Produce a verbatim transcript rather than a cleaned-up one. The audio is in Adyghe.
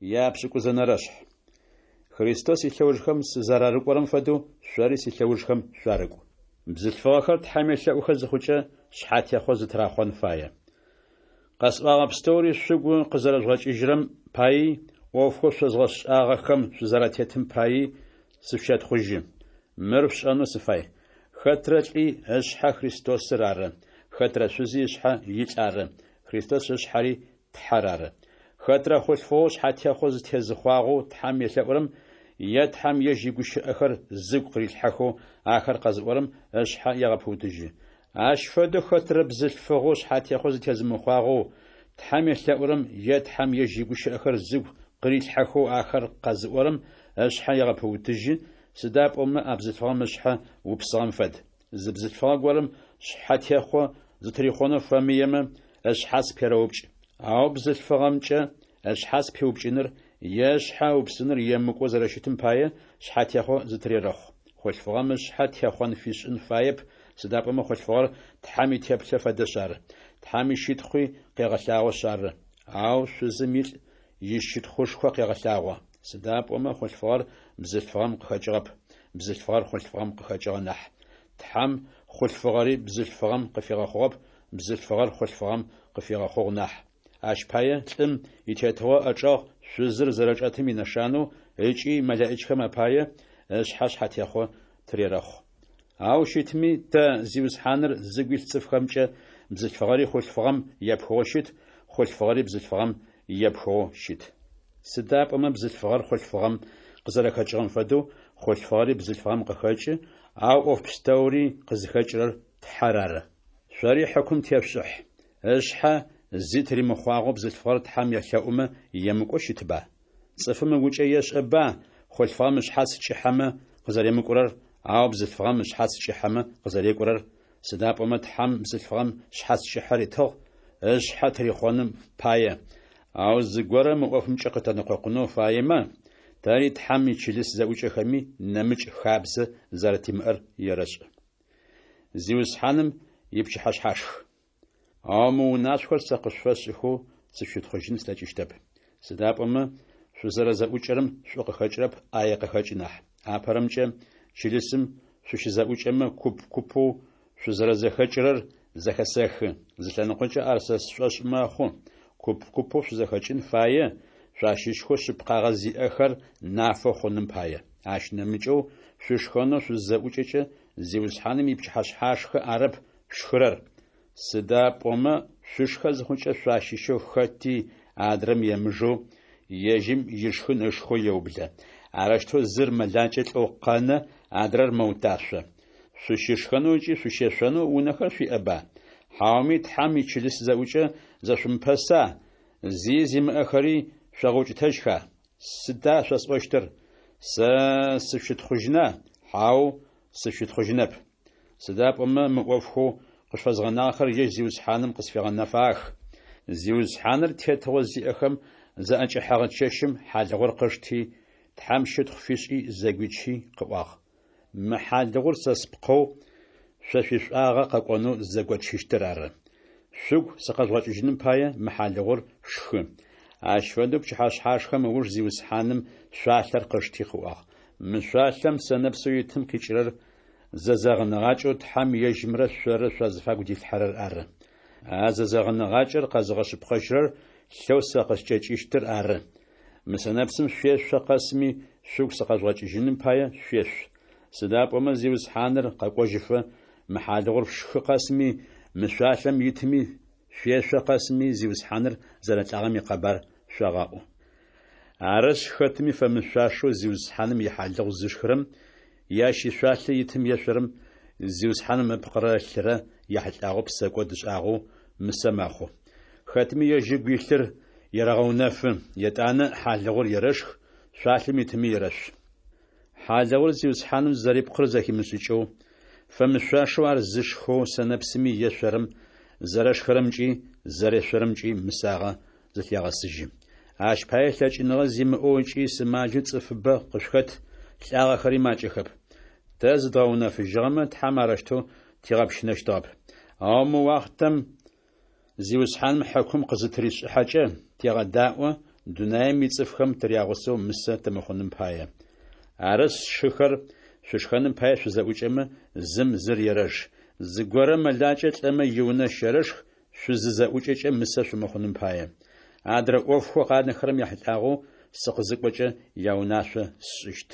Япшӏыкӏузэнэрэ шъхь. Христос илъэужхэм сызэрарыкӏорэм фэдэу, шъори силъэужхэм шъуарыкӏу. Бзылъфыгъэхэр Тхьэм елъэӏухэ зыхъукӏэ, шъхьатехъо зытырахъон фае. Къэсӏуагъэ пстэури шъугу къызэрэзгъэкӏыжьырэм паий, ӏофхэу шъозгъэшӏагъэхэм шъузэратетым паий сышъущэтхъужьы. Мыр шъушӏэнэу сыфай: хэтрэ лӏи ышъхьэ Христосыр ары, хэтрэ шъузи ышъхьэ илӏ ары, Христос ышъхьэри Тхьэр ары. Хэтрэ хъулъфыгъэу шъхьатехъо зытезыхъуагъэу Тхьэм елъэӏурэм е Тхьэм ежь игущыӏэхэр зыгу къырилъхьэхэу ахэр къэзыӏорэм ышъхьэ егъэпыутыжьы. Ащ фэдэу хэтрэ бзылъфыгъэу шъхьатехъо зытезымыхъуагъэу Тхьэм елъэӏурэм е Тхьэм ежь игущыӏэхэр зыгу къырилъхьэхэу ахэр къэзыӏорэм ышъхьэ егъэпыутыжьы, сыда пӏомэ а бзылъфыгъэм ышъхьэ упсыгъэм фэд. Зы бзылъфыгъэ горэм шъхьэтехъо зытырихъонэу фэмыемэ, ышъхьац перэупкӏ. Ау бзылъфыгъэмкӏэ ышъхьац пиупкӏыныр е ышъхьэ ыупсыныр емыкӏоу зэрэщытым пае, шъхьатехъо зытырерэхъу. Хъулъфыгъэм ышъхьэ техъон фишӏын фаеп, сыда пӏомэ хъулъфыгъэр Тхьэм итеплъэ фэдэшъ ары, Тхьэм ищытхъуи къегъэлъагъошъ ары. Ау шъузым илӏ ищытхъушхо къегъэлъагъо. Сыда пӏомэ хъулъфыгъэр бзылъфыгъэм къыхэкӏыгъэп, бзылъфыгъэр хъулъфыгъэм къыхэкӏыгъэ нахь. Тхьэм хъулъфыгъэри бзылъфыгъэм къыфигъэхъугъэп, бзылъфыгъэр хъулъфыгъэм къыфигъэхъугъ нахь. Ащ пае лӏым итетыгъо ӏэчӏэгъ шъузыр зэрэчӏэтым инэшанэу ыкӏи мэлэӏичхэм апае ышъхьэ шъхьатехъо тырерэхъу. Ау щытми, тэ, Зиусхьаныр зыгу илъ цӏыфхэмкӏэ бзылъфыгъэри хъулъфыгъэм епхыгъэу щыт, хъулъфыгъэри бзылъфыгъэм епхыгъэу щыт. Сыда пӏомэ бзылъфыгъэр хъулъфыгъэм къызэрэхэкӏыгъэм фэдэу, хъулъфыгъэри бзылъфыгъэм къыхэкӏы, ау ӏоф пстэури къызхэкӏырэр Тхьэр ары. Шъори хьыкум тешъушӏыхь. Ышъхьэ зи тыримыхъуагъэу бзылъфыгъэр Тхьэм елъэӏумэ емыкӏоу щытба? Цӏыфым ыгукӏэ ешӏэба хъулъфыгъэм ышъхьац кӏыхьэмэ къызэремыкӏурэр, ау бзылъфыгъэм ышъхьац кӏыхьэмэ къызэрекӏурэр, сыда пӏомэ Тхьэм бзылъфыгъэм шъхьац кӏыхьэ ритыгъ, ышъхьэ тырихъоным пае. Ау зыгорэ мы ӏофымкӏэ къытэнэкъокъунэу фаемэ, тэри Тхьэм ичылыс зэӏукӏэхэми нэмыкӏ хабзэ зэрэтимыӏэр ерэшӏ. Зиусхьаным ипчыхьэшъхьашх. Ау мы унашъохэр сэ къышъуфэсшӏыхэу сышъущытхъужьын слъэкӏыщтэп. Сыда пӏомэ шъузэрэзэӏукӏэрэм шӏу къыхэкӏырэп, ӏае къыхэкӏы нахь. Апэрэмкӏэ, чылысым шъущызэӏукӏэмэ, куп-купэу шъузэрэзэхэкӏырэр зэхэсэхы. Зы лъэныкъокӏэ ар сэ сшӏошъ мэхъу. Куп-купэу шъузэхэкӏын фае, шъуащыщхэу шъыпкъагъэ зиӏэхэр нафэ хъуным пае. Ащ нэмыкӏэу шъушхэнэу шъузызэӏукӏэкӏэ, Зиусхьаным ипчыхьэшъхьашхэ арэп шъушхырэр. Сыда пӏомэ шъушхэ зыхъукӏэ шъуащыщэу хэти адрэм емыжэу, ежьым ишхын ышхэу еублэ. Арэущтэу зыр мэлакӏэ лӏэу къэнэ, адрэр мэуташъо. Шъущышхэнэу ыкӏи шъущешъонэу унэхэр шъуиӏэба? Хьауми Тхьэм ичылыс зэӏукӏэ зэшъумыпэса, зи зимыӏэхэри шъогъэукӏытэжьха? Сыда шъосӏощтыр? Сэ сышъущытхъужьына? Хьау, сышъущытхъужьынэп. Сыда пӏомэ мы ӏофхэу къышъуфэзгъэнагъэхэр ежь Зиусхьаным къысфигъэнэфагъэх. Зиусхьаныр тетыгъо зиӏэхэм заӏэкӏэхьэгъэ чэщым хьалыгъур къышти, Тхьэм щытхъу фишӏи зэгуичи къыӏуагъ: «Мы хьалыгъур сэ спкъэу шъо шъуишӏуагъэ къэкӏонэу зэгочыщтыр ары. Шъугу сыкъэжъугъэкӏыжьыным пае мы хьалыгъур шъушхы». Ащ фэдэу пчыхьэшъхьашхэм ыуж Зиусхьаным шъуалъэр къышти къыӏуагъ: «Мы шъуалъэм сэнэпсэу итым къикӏырэр зэзэгъыныгъакӏэу Тхьэм ежьымрэ шъоррэ шъуазыфагу дилъхьэрэр ары. А зэзэгъыныгъакӏэр къэзыгъэшъыпкъэжьырэр лъэу сэ къыскӏэкӏыщтыр ары. Мы сэнэпсым шъуешъо къэсми шъугу сыкъэжъугъэкӏыжьыным пае шъуешъу. Сыда пӏомэ Зиусхьаныр къэкӏожьыфэ мы хьалыгъур шъушхы къэсми, мы шъуалъэм итми шъуешъо къэсми Зиусхьаныр зэрэлӏагъэм икъэбар шъогъэӏу. Арышъ, хэтми фэмышъуашэу Зиусхьаным ихьалыгъу зышхырэм е ащ ишъуалъэ итым ешъорэм Зиусхьаным ыпкъырэ ылъырэ яхьылӏагъэу псэкӏод ышӏагъэу мысэ мэхъу. Хэтми ежь ыгу илъыр ерэгъэунэфы, етӏанэ хьалыгъур ерэшх, шъуалъэм итыми ерэшъу. Хьалыгъур Зиусхьаным зэрипкъыр зэхимышӏыкӏэу, фэмышъуашэу ар зышхэу сэнэпсыми ешъорэм зэрэшхырэмкӏи зэрешъорэмкӏи мысагъэ зылъегъэсыжьы. Ащ пае лъэкӏыныгъэ зимыӏэу ыкӏи сымаджэу цӏыфыбэ къышъухэт, лӏагъэхэри макӏэхэп. Тэ зыдгъэунэфыжьыгъэмэ, Тхьэм арэущтэу тигъэпщынэщтыгъэп. Ау мы уахътэм Зиусхьаным хьыкум къызытыришӏыхьэкӏэ, тегъэдаӏо, дунаем ицӏыфхэм тырягъусэу мысэ тымыхъуным пае. Арышъ, сшыхэр, шъушхэным пае шъузэӏукӏэмэ, зым зыр ерэж. Зыгорэ мэлакӏэ лӏэмэ, иунэ щэрэшх, шъузызэӏукӏэкӏэ мысэ шъумыхъуным пае. Адрэ ӏофхэу къанэхэрэм яхьылӏагъэу сыкъызыкӏокӏэ, яунашъо сшӏыщт.